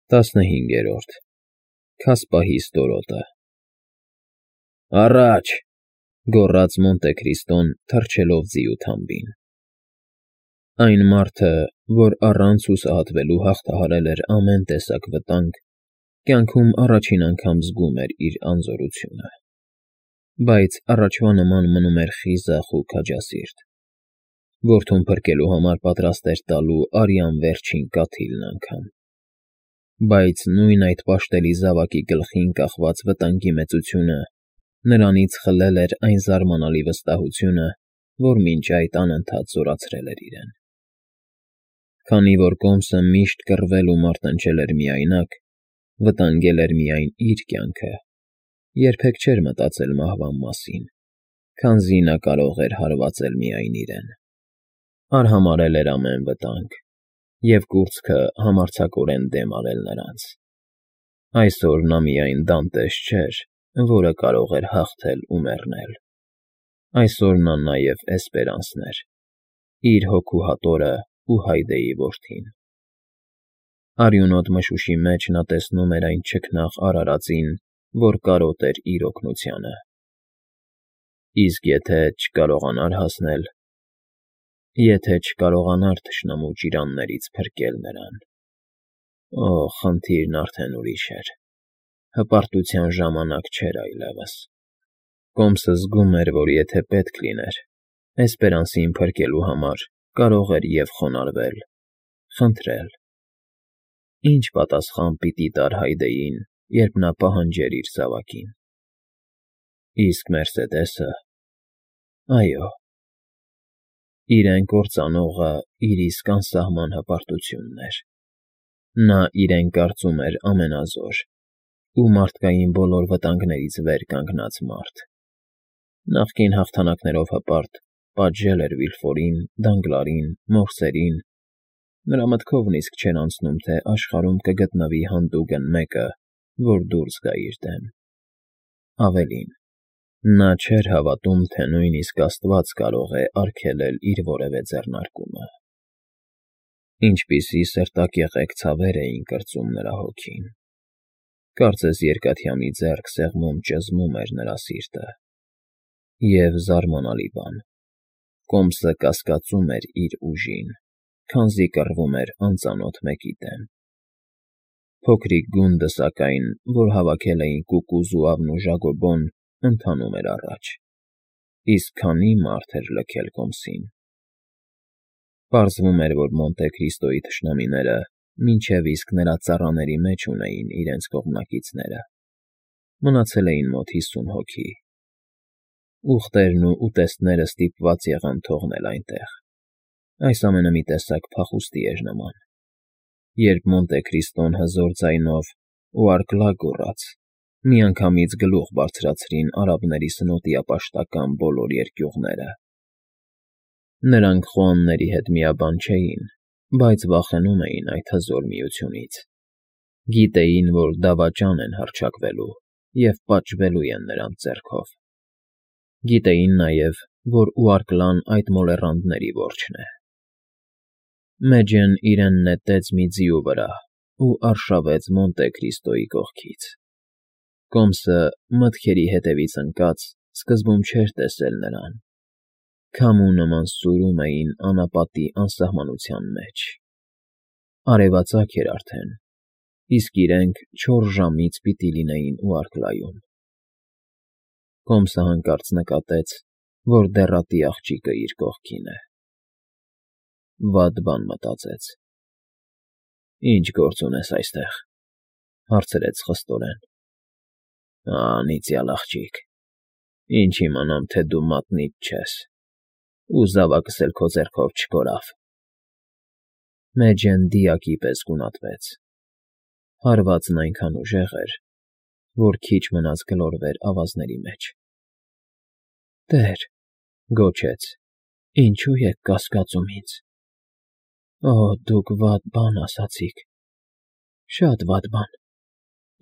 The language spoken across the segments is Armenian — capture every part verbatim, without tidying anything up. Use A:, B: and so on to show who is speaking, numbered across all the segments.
A: Տասնհինգերորդ Քասպահի ստորոտը Առաջ, գոռաց Մոնտե Քրիստոն, թռչելով ձիու թամբին։ Այն մարդը, որ առանց հուսահատվելու հաղթահարել էր ամեն տեսակ վտանգ, կյանքում առաջին անգամ զգում էր իր անզորությունը, բայց առաջվա նման մնում էր խիզախ ու քաջասիրտ։ Որդուն փրկելու համար պատրաստ էր տալու արյան վերջին կաթիլն անգամ։ Բայց նույն այդ պաշտելի զավակի գլխին կախված վտանգի մեծությունը նրանից խլել էր այն զարմանալի վստահությունը, որ մինչ այդ անընդհատ զորացրել էր իրեն։ Քանի որ կոմսը միշտ կռվել ու մարտնչել էր միայնակ, վտանգել էր միայն իր կյանքը, երբեք չէր մտածել մահվան մասին, քանզի նա կարող էր հարվածել միայն իրեն։ Արհամարհել էր ամեն վտանգ և կուրծքը համարձակորեն դեմ արել նրանց։ Այսօր նա միայն Դանտես չէր, որը կարող էր հաղթել ու մեռնել։ Այսօր նա նաև Էսպերանսն էր, իր հոգու հատորը ու Հայդեի որդին։ Արյունոտ մշուշի մեջ նա տեսնում էր այն չքնաղ արարածին, որ կարոտ էր իր օգնությանը։ Իսկ եթե չկարողանար հասնել… Եթե չկարողանար թշնամու ճիրաններից փրկել նրան… Օ, խնդիրն արդեն ուրիշ էր, հպարտության ժամանակ չէր այլևս։ Կոմսը զգում էր, որ եթե պետք լիներ, Էսպերանսին փրկելու համար կարող էր և խոնարհվել, խնդրել… Ի՞նչ պատասխան պիտի տար Հայդեին, երբ նա պահանջեր իր զավակին։ Իսկ Մերսեդեսը… Այո… Իրեն կործանողը իր իսկ անսահման հպարտությունն էր։ Նա իրեն կարծում էր ամենազոր ու մարդկային բոլոր վտանգներից վեր կանգնած մարդ։ Նախկին հաղթանակներով հպարտ, պատժել էր Վիլֆորին, Դանգլարին, մորսերին… Նրա մտքով նիսկ չէր անցնում, թե աշխարհում կգտնվի հանդուգն մեկը, որ դուրս գա իր դեմ։ Ավելին, նա չէր հավատում, թե նույնիսկ Աստված կարող է արգելել իր որևէ ձեռնարկումը։ Ինչպիսի սրտակեղեկ ցավեր էին կրծում նրա հոգին… Կարծես երկաթյա մի ձեռք սեղմում ճզմում էր նրա սիրտը։ Եվ զարմանալի բան, կոմսը կասկածում էր իր ուժին, քանզի կռվում էր անծանոթ մեկի դեմ։ Փոքրիկ գունդը, սակայն, որ հավաքել էին Կուկու, Զուավն ու Ժագոբոն, ընթանում էր առաջ… Իսկ քանի՞ մարդ էր լքել կոմսին… Պարզվում էր, որ Մոնտե Քրիստոյի թշնամիները մինչև իսկ նրա ծառաների մեջ ունեին իրենց կողմնակիցները. մնացել էին մոտ հիսուն հոգի։ Ուղտերն ու ուտեստները ստիպված եղան թողնել այնտեղ։ Այս ամենը մի տեսակ փախուստի էր նման։ Երբ Մոնտե Քրիստոն հզոր ձայնով ու արկլա գոռաց, միանգամից գլուխ բարձրացրին արաբների սնոտիապաշտական բոլոր երկյուղները։ Նրանք խոհանների հետ միաբան չէին, բայց վախենում էին այդ հզոր միությունից։ Գիտեին, որ դավաճան են հռչակվելու և պատժվելու են նրանց ձեռքով։ Գիտեին նաև, որ Ուարկլան այդ մոլեռանդների որջն է։ Մեջն իրեն նետեց մի ձիու վրա ու արշավեց Մոնտե Քրիստոյի կողքից։ Կոմսը, մտքերի հետևից ընկած, սկզբում չէր տեսել նրան. քամու նման սույրում էին անապատի անսահմանության մեջ։ Արևածագ էր արդեն, իսկ իրենք չորս ժամից պիտի լինեին Ուարկլայում։ Կոմսը հանկարծ նկատեց, որ դեռատի աղջիկը իր կողքին է։ Վատ բան մտածեց։ «Ի՞նչ գործ ունես այստեղ,֊ հարցրեց խստորեն։ Անիծյալ աղջիկ, ինչ իմանամ, թե դու մատնիդ չես, ու զավակս էլ քո ձեռքով չկորավ»։ Մեջն դիակի պես գունատվեց։ Հարվածն այնքան ուժեղ էր, որ քիչ մնաց գլորվեր ավազների մեջ։ «Տեր,֊ գոչեց,֊ ինչո՞ւ եք կասկածում ինձ։ Օ, դուք վատ բան ասացիք, շատ վատ բան…»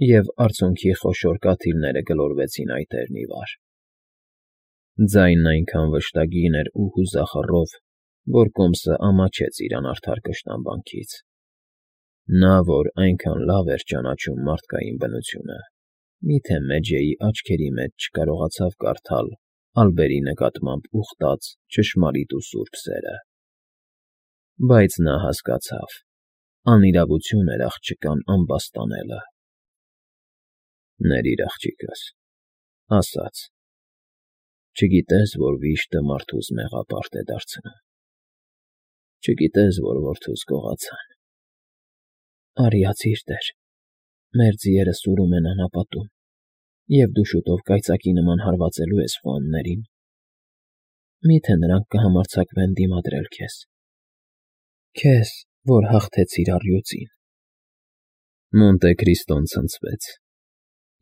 A: Եվ արցունքի խոշոր կաթիլները գլորվեցին այտեռն ի վար։ Ձայնն այնքան վշտագին էր ու հուզախռով, որ կոմսը ամաչեց իր անարդար կշտամբանքից։ Նա, որ այնքան լավ էր ճանաչում մարդկային բնությունը, միթե Մեջեի աչքերի մեջ չկարողացավ կարդալ Ալբերի նկատմամբ ուխտած ճշմարիտ ու սուրբ սերը։ Բայց նա հասկացավ. անիրավություն էր աղջկան ամբաստանելը։ «Ներիր աղջիկս», ասաց. «չգիտես, որ վիշտը մարդուս մեղապարտ է դարձնում, չգիտես, որ որդուս գողացան»։ «Արիացիր, տեր, մեր ձիերը սուրում են անապատում, և դու շուտով կայծակի նման հարվածելու ես խոհաններին. մի՞թե նրանք կհամարձակվեն դիմադրել քեզ, քեզ, որ հաղթեցիր առյուծին»։ Մոնտե Քրիստոն ցնցվեց.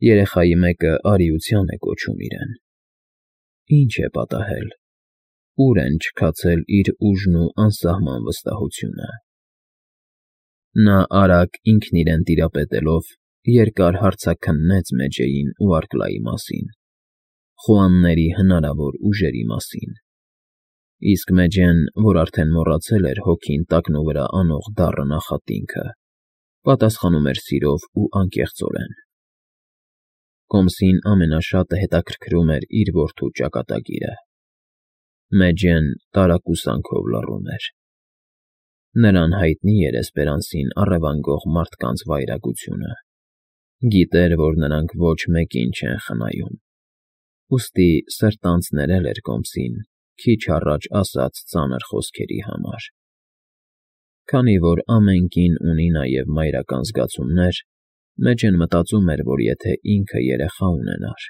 A: երեխայի մեկը արիության է կոչում իրեն։ Ինչ է պատահել, ուր են չքացել իր ուժն ու անսահման վստահությունը։ Նա արագ ինքն իրեն տիրապետելով երկար հարցաքննեց Մեջեին ու Արկլայի մասին, խոհանների հնարավոր ուժերի մասին, իսկ Մեջեն, որ արդեն մոռացել էր հոգին տակնուվրա անող դառը նախատինքը, պատասխանում էր սիրով ու անկեղծորեն։ Կոմսին ամենաշատը հետաքրքրում էր իր որդու ճակատագիրը։ Մեջեն տարակուսանքով լռում էր։ Նրան հայտնի էր Էսպերանսին առևանգող մարդկանց վայրագությունը, գիտեր, որ նրանք ոչ մեկին չեն խնայում, ուստի սրտանց ներել էր Կոմսին քիչ առաջ ասած ծանր խոսքերի համար։ Քանի որ ամեն կին ունի նաև մայրական զգացումներ, Մեջեն մտածում էր, որ եթե ինքը երեխա ունենար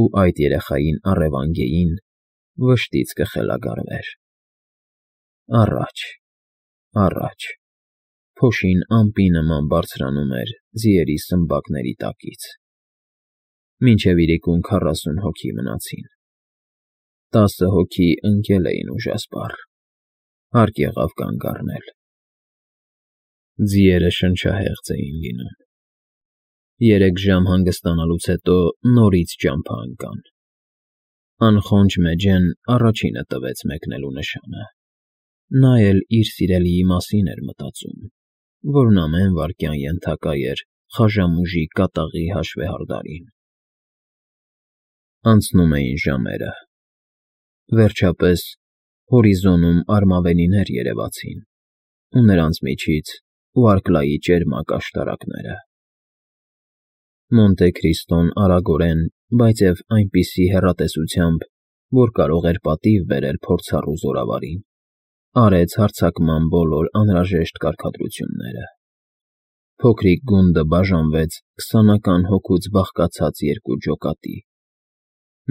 A: ու այդ երեխային առևանգեին, վշտից կխելագարվեր։ Առաջ, առաջ, փոշին ամպի նման բարձրանում էր ձիերի սմբակների տակից։ Մինչև իրիկուն քառասուն հոգի մնացին։ Տասը հոգի ընկել էին ուժասպառ, հարկ եղավ կանգ առնել։ Ձիերը շնչահեղձ էին լինում։ Երեք ժամ հանգստանալուց հետո նորից ճամփա ընկան։ Անխոնջ Մեջեն առաջինը տվեց մեկնելու նշանը։ Նա էլ իր սիրելիի մասին էր մտածում, որն ամեն վայրկյան ենթակա էր խաժամուժի կատաղի հաշվեհարդարին։ Անցնում էին ժամերը։ Վերջապես հորիզոնում արմավենիներ երևացին, ու նրանց միջից ու Արկլայի ճերմակ աշտարակները։ Մոնտե Քրիստոն արագորեն, բայց և այնպիսի հեռատեսությամբ, որ կարող էր պատիվ բերել փորձառու զորավարին, արեց հարձակման բոլոր անհրաժեշտ կարգադրությունները։ Փոքրիկ գունդը բաժանվեց քսանական հոգուց բաղկացած երկու ջոկատի։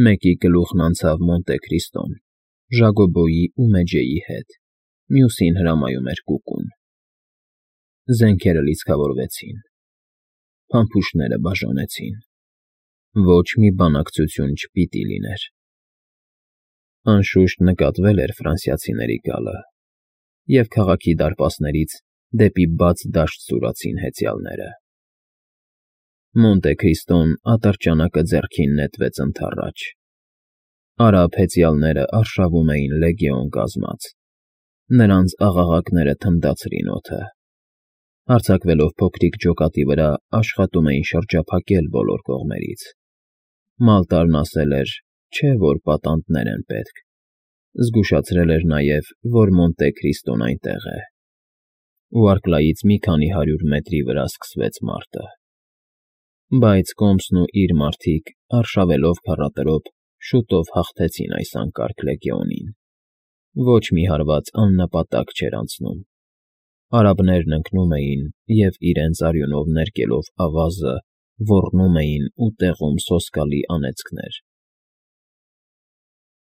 A: Մեկի գլուխն անցավ Մոնտե Քրիստոն, Ժակոբոյի ու Մեջեի հետ, մյուսին հրամայում էր կուկուն։ Զենքերը լիցքավորվեցին, փամփուշտները բաժանեցին։ Ոչ մի բանակցություն չպիտի լիներ։ Անշուշտ նկատվել էր ֆրանսիացիների գալը, և քաղաքի դարպասներից դեպի բաց դաշտ սուրացին հեծյալները։ Մոնտե Քրիստոն ատրճանակը ձեռքին նետվեց ընդառաջ։ Արաբ հեծյալները արշավում էին լեգիոն կազմած, նրանց աղաղակները թնդացրին օդը։ Հարձակվելով փոքրիկ ջոկատի վրա, աշխատում էին շրջափակել բոլոր կողմերից։ Մալտարն ասել էր, չէ՞ որ պատանդներ են պետք, զգուշացրել էր նաև, որ Մոնտե Քրիստոն այնտեղ է։ Ու Արկլայից մի քանի հարյուր մետրի վրա սկսվեց մարտը։ Բայց Կոմսն ու իր մարդիկ, արշավելով քառատրոփ, շուտով հաղթեցին այս անկարգ լեգիոնին։ Ոչ մի հարված աննպատակ չէր անցնում։ Արաբներն ընկնում էին և, իրենց արյունով ներկելով ավազը, ոռնում էին ու տեղում սոսկալի անեծքներ